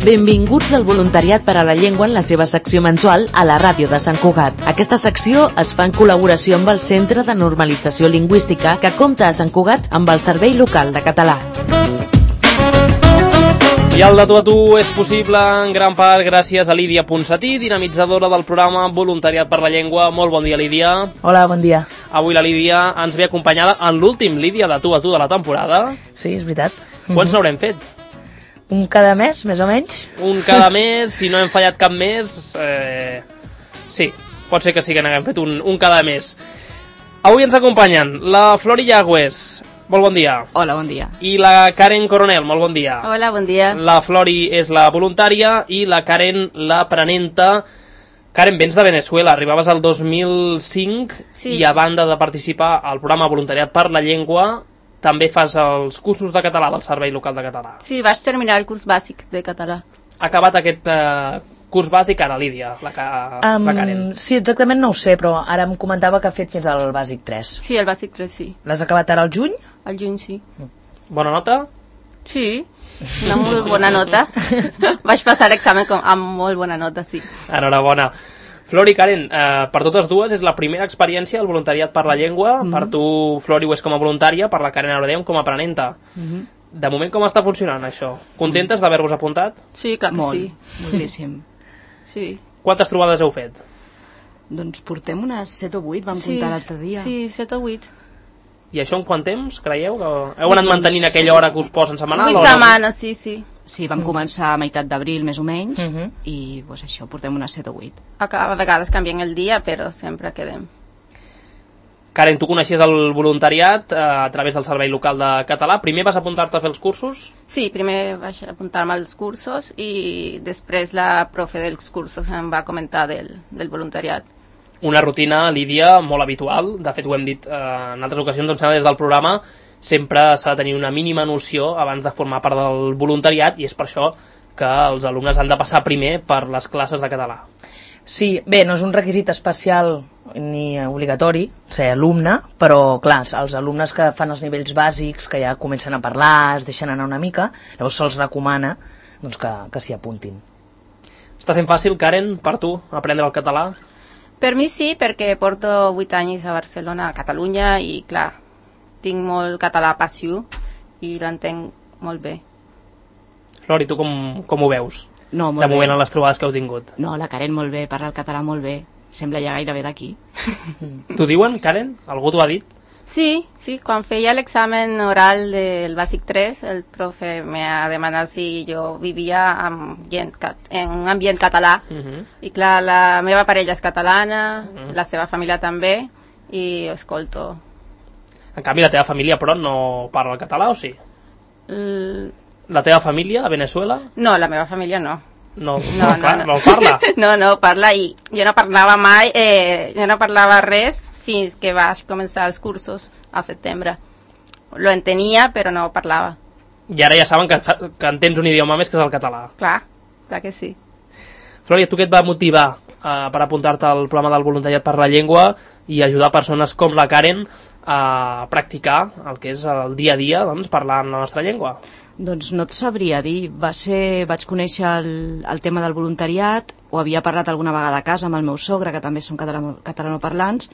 Benvinguts al Voluntariat per a la Llengua en la seva secció mensual a la ràdio de Sant Cugat. Aquesta secció es fa en col·laboració amb el Centre de Normalització Lingüística que compta a Sant Cugat amb el Servei Local de Català. I el de tu a tu és possible en gran part gràcies a Lídia Ponsatí, dinamitzadora del programa Voluntariat per la Llengua. Molt bon dia, Lídia. Hola, bon dia. Avui la Lídia ens ve acompanyada en l'últim Lídia de tu a tu de la temporada. Sí, és veritat. Quants n'haurem fet? Un cada mes, més o menys. Un cada mes, si no hem fallat cap mes, sí, pot ser que sí que n'haguem fet un cada mes. Avui ens acompanyen la Flori Llagües, molt bon dia. Hola, bon dia. I la Karen Coronel, molt bon dia. Hola, bon dia. La Flori és la voluntària i la Karen l'aprenenta. Karen, vens de Venezuela, arribaves al 2005 sí. I a banda de participar al programa Voluntariat per la Llengua, també fas els cursos de català del Servei Local de Català. Sí, vaig terminar el curs bàsic de català. Ha acabat aquest curs bàsic ara, Lídia, la Karen. Sí, exactament no ho sé, però ara em comentava que ha fet fins al bàsic 3. Sí, el bàsic 3, sí. L'has acabat ara al juny? Al juny, sí. Bona nota? Sí, una molt bona nota. Vaig passar l'examen amb molt bona nota, sí. Enhorabona. Flori, Karen, per totes dues és la primera experiència al voluntariat per la llengua. Per tu, Flori, ho és com a voluntària, per la Karen Aradeu com a aprenenta. De moment, com està funcionant això? Contentes d'haver-vos apuntat? Sí, clar que sí. Moltíssim. Sí. Quantes trobades heu fet? Doncs portem unes 7 o 8, vam comptar l'altre dia. Sí, 7 o 8. I això en quant temps, creieu? Heu anat mantenint aquella hora que us posen setmanal? 8 setmanes, sí, sí. Sí, vam començar a meitat d'abril, més o menys, i pues, això, portem unes 7 o 8. A vegades canviem el dia, però sempre quedem. Karen, tu coneixies el voluntariat a través del Servei Local de Català. Primer vas apuntar-te a fer els cursos? Sí, primer vaig apuntar-me als cursos i després la profe dels cursos em va comentar del voluntariat. Una rutina, Lídia, molt habitual. De fet, ho hem dit en altres ocasions, em sembla, des del programa. Sempre s'ha de tenir una mínima noció abans de formar part del voluntariat i és per això que els alumnes han de passar primer per les classes de català. Sí, bé, no és un requisit especial ni obligatori ser alumne, però clar, els alumnes que fan els nivells bàsics, que ja comencen a parlar, es deixen anar una mica, llavors se'ls recomana doncs, que s'hi apuntin. Està sent fàcil, Karen, per tu, aprendre el català? Per mi sí, perquè porto 8 anys a Barcelona, a Catalunya, i clar, tinc molt català passiu i l'entenc molt bé. Flori, tu com ho veus? No, molt de moment bé. en les trobades que heu tingut. No, la Karen molt bé, parla el català molt bé. Sembla ja gairebé d'aquí. T'ho diuen, Karen? Algú t'ho ha dit? Sí, quan feia l'examen oral del bàsic 3, el profe m'ha demanat si jo vivia en un ambient català. I clar, la meva parella és catalana, la seva família també, i escolto. En canvi, la teva família, però, no parla el català, o sí? La teva família, a Venezuela? No, la meva família no. No parla? No parla, i jo no parlava mai, jo no parlava res fins que vaig començar els cursos a setembre. Lo entenia, però no parlava. I ara ja saben que entens un idioma més, que és el català. Clar que sí. Flori, tu què et va motivar per apuntar-te al programa del voluntariat per la llengua i ajudar persones com la Karen a practicar el que és el dia a dia, doncs, parlant la nostra llengua? Doncs no et sabria dir. Vaig conèixer el tema del voluntariat, ho havia parlat alguna vegada a casa amb el meu sogre, que també són catalanoparlants,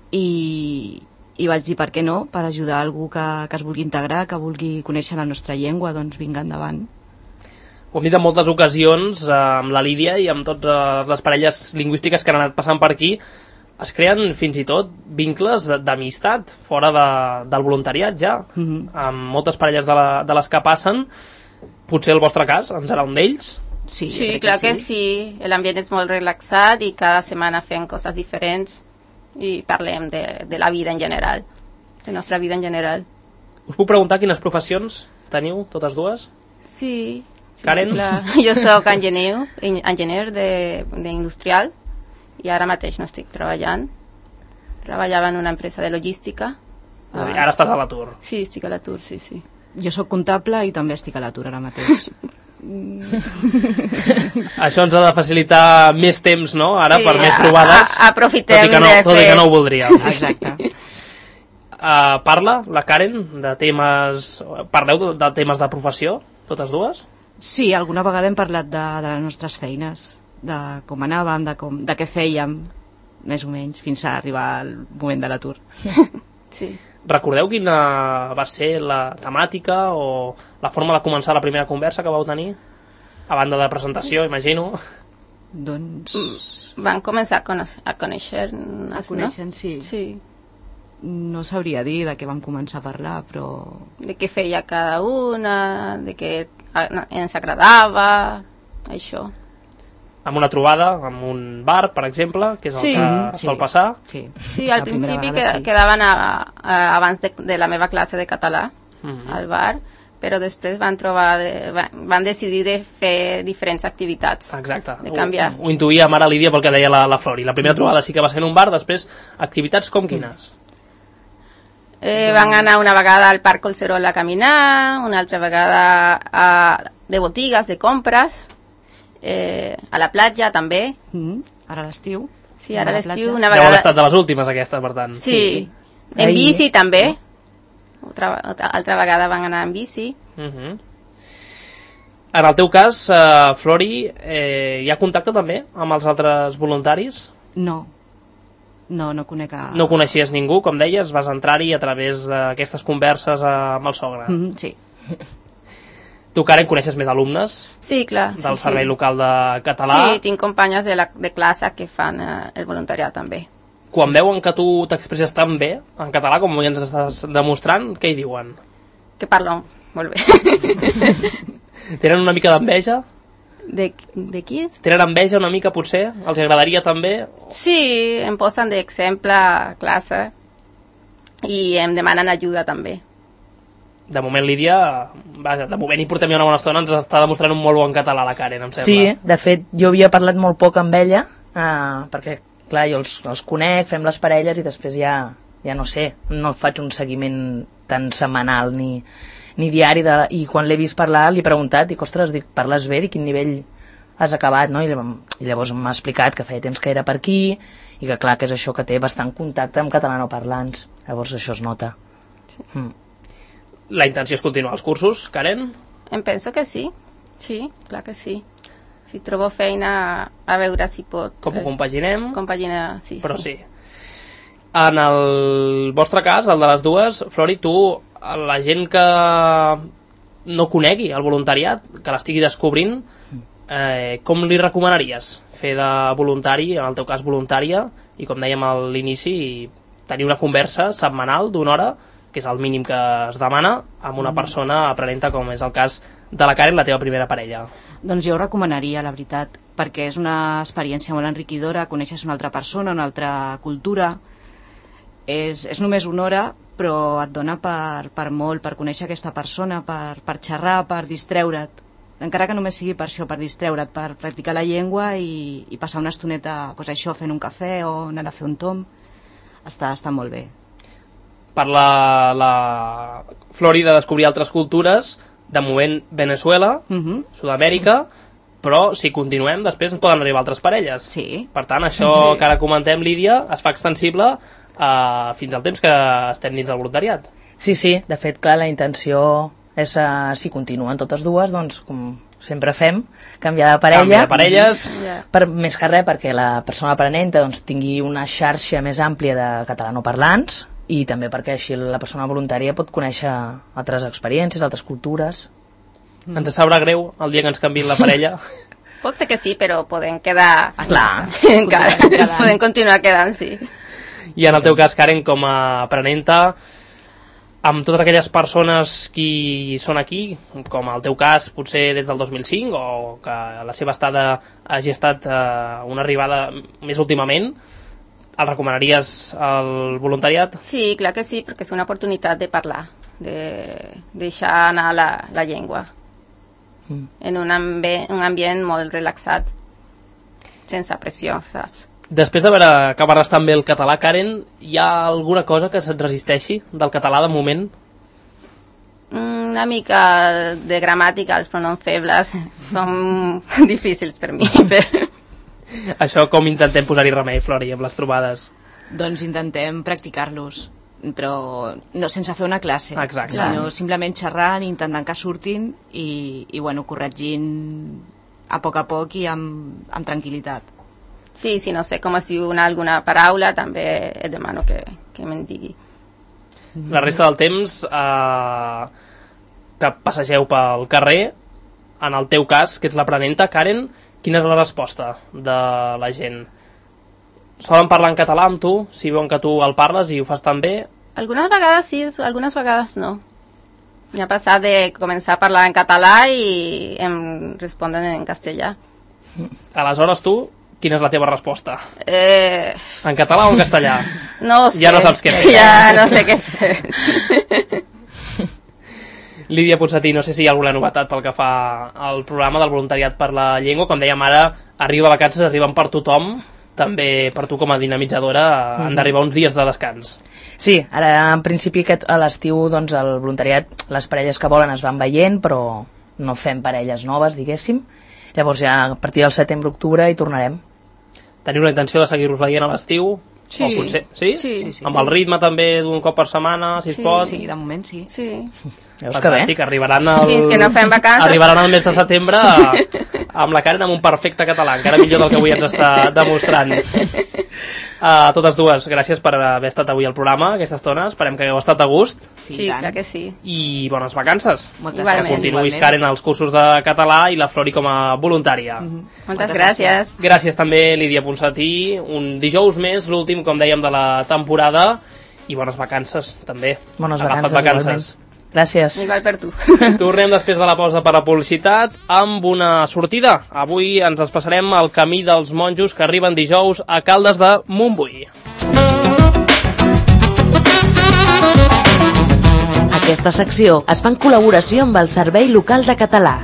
i vaig dir per què no, per ajudar algú que es vulgui integrar, que vulgui conèixer la nostra llengua, doncs vinga endavant. Ho hem dit en moltes ocasions amb la Lídia i amb totes les parelles lingüístiques que han anat passant per aquí. Es creen fins i tot vincles d'amistat fora del voluntariat ja, amb moltes parelles de les que passen. Potser el vostre cas en serà un d'ells? Sí, clar que sí. L'ambient és molt relaxat i cada setmana fem coses diferents i parlem de la vida en general, de la nostra vida en general. Us puc preguntar quines professions teniu, totes dues? Sí. Karen? Sí, jo soc enginyer d'industrial i ara mateix no estic treballant. Treballava en una empresa de logística. Ara estàs a l'atur. Sí, estic a l'atur, sí. Jo sóc comptable i també estic a l'atur ara mateix. Això ens ha de facilitar més temps, no? Ara, per més trobades. Aprofitem tot i que no ho voldríem. Exacte. Parla la Karen de temes... Parleu de temes de professió, totes dues? Sí, alguna vegada hem parlat de les nostres feines, de com anàvem, de què fèiem, més o menys, fins a arribar al moment de l'atur. Sí. Recordeu quina va ser la temàtica o la forma de començar la primera conversa que vau tenir? A banda de presentació, imagino. Doncs... Van començar a conèixer-nos, A conèixer-nos, sí. Sí. No sabria dir de què vam començar a parlar, però... De què feia cada una, de què ens agradava, això. Amb una trobada, amb un bar, per exemple, que és el que sol passar. Sí, sí, al principi quedaven abans de la meva classe de català al bar, però després van decidir de fer diferents activitats. Exacte, de canviar. Ho intuïa ara Lídia pel que deia la Flori. La primera trobada sí que va ser en un bar, després activitats com quines? Van anar una vegada al Parc Collserola a caminar, una altra vegada de botigues, de compres, a la platja també. Ara l'estiu. Sí, ara l'estiu una vegada... Deu haver estat de les últimes aquesta, per tant. Sí, en bici també. Altra vegada van anar en bici. En el teu cas, Flori, hi ha contacte també amb els altres voluntaris? No conec No coneixies ningú, com deies, vas entrar-hi a través d'aquestes converses amb el sogre. Sí. Tu, Karen, coneixes més alumnes? Sí, clar. Del Servei Local de Català? Sí, tinc companyes de classe que fan el voluntariat també. Quan veuen que tu t'expresses tan bé en català, com ja ens estàs demostrant, què hi diuen? Que parlo molt bé. Tenen una mica d'enveja? De qui? Tenen enveja una mica, potser? Els agradaria també? Sí, em posen d'exemple a classe i em demanen ajuda també. De moment, Lídia, vaja, de moment hi portem ja una bona estona, ens està demostrant un molt bon català la Karen, em sembla. Sí, de fet, jo havia parlat molt poc amb ella, perquè, clar, jo els conec, fem les parelles i després ja no sé, no faig un seguiment tan setmanal ni diari, i quan l'he vist parlar li he preguntat, dic, ostres, parles bé, de quin nivell has acabat, no? I llavors m'ha explicat que feia temps que era per aquí i que clar, que és això, que té bastant contacte amb catalanoparlants, llavors això es nota. La intenció és continuar els cursos, Karen? Em penso que sí, clar que sí. Si trobo feina, a veure si pot... Com ho compaginem? Compaginar, sí. Però sí. En el vostre cas, el de les dues, Flori, tu, la gent que no conegui el voluntariat, que l'estigui descobrint, com li recomanaries fer de voluntari, en el teu cas voluntària, i com dèiem a l'inici, tenir una conversa setmanal d'una hora, que és el mínim que es demana, amb una persona aprenenta, com és el cas de la Karen, la teva primera parella? Doncs jo ho recomanaria, la veritat, perquè és una experiència molt enriquidora, coneixes una altra persona, una altra cultura, és només una hora, però et dona per molt, per conèixer aquesta persona, per xerrar, per distreure't, encara que només sigui per això, per distreure't, per practicar la llengua i passar una estoneta, doncs això, fent un cafè o anar a fer un tom, està molt bé. Per la Flori de descobrir altres cultures, de moment Venezuela, Sud-amèrica, però si continuem després ens poden arribar altres parelles. Sí. Per tant, això que ara comentem, Lídia, es fa extensible fins al temps que estem dins del voluntariat. Sí, de fet, clar, la intenció és, si continuen totes dues, doncs, com sempre fem, canviar de parella. Canviar de parelles. Més que res perquè la persona aprenenta doncs, tingui una xarxa més àmplia de catalanoparlants, i també perquè així la persona voluntària pot conèixer altres experiències, altres cultures. Ens sabrà greu el dia que ens canviïn la parella? Pot ser que sí, però podem quedar... Clar. Encara, podem continuar quedant, sí. I en el teu cas, Karen, com a aprenenta, amb totes aquelles persones que són aquí, com el teu cas potser des del 2005, o que la seva estada hagi estat una arribada més últimament, el recomanaries al voluntariat? Sí, clar que sí, perquè és una oportunitat de parlar, de deixar anar la llengua en un ambient molt relaxat, sense pressió, saps? Després d'haver que parles tan bé el català, Karen, hi ha alguna cosa que se't resisteixi del català de moment? Una mica de gramàtica, els pronoms febles són difícils per mi, Això com intentem posar-hi remei, Flori, amb les trobades? Doncs intentem practicar-los. però no sense fer una classe, sinó simplement xerrant, intentant que surtin i bueno, corregint a poc i amb tranquil·litat. Sí, si no sé com es diu alguna paraula, també et demano que me'n digui. La resta del temps que passegeu pel carrer, en el teu cas, que ets l'aprenenta, Karen, quina és la resposta de la gent? Solen parlar en català amb tu, si veuen que tu el parles i ho fas tan bé? Algunes vegades sí, algunes vegades no. M'ha passat de començar a parlar en català i em responen en castellà. Aleshores tu, quina és la teva resposta? En català o en castellà? No sé. Ja no saps què fer. Ja no sé què fer. Lídia Ponsatí, no sé si hi ha alguna novetat pel que fa al programa del voluntariat per la llengua. Com dèiem ara, arriba vacances, arriben per tothom, també per tu com a dinamitzadora han d'arribar uns dies de descans. Sí, ara en principi a l'estiu doncs, el voluntariat, les parelles que volen es van veient, però no fem parelles noves, diguéssim. Llavors ja a partir del setembre-octubre hi tornarem. Teniu la intenció de seguir-vos veient a l'estiu? Sí. O potser, sí? Sí. Amb el ritme també d'un cop per setmana, si es pot? Sí, de moment sí. Fantàstic, arribaran fins que no fem vacances. Arribaran al mes de setembre amb la Karen amb un perfecte català, encara millor del que avui ens està demostrant. A totes dues, gràcies per haver estat avui al programa, aquesta estona, esperem que hagueu estat a gust. Sí, clar que sí. I bones vacances. Igualment. Que continuïs, Karen, els cursos de català i la Flori com a voluntària. Moltes gràcies. Gràcies també, Lídia Ponsatí. Un dijous més, l'últim, com dèiem, de la temporada. I bones vacances, també. Bones vacances. Igualment. Gràcies. Igual per tu. Tornem després de la pausa per la publicitat amb una sortida. Avui ens desplaçarem al Camí dels Monjos, que arriben dijous a Caldes de Montbui. Aquesta secció es fa en col·laboració amb el Servei Local de Català.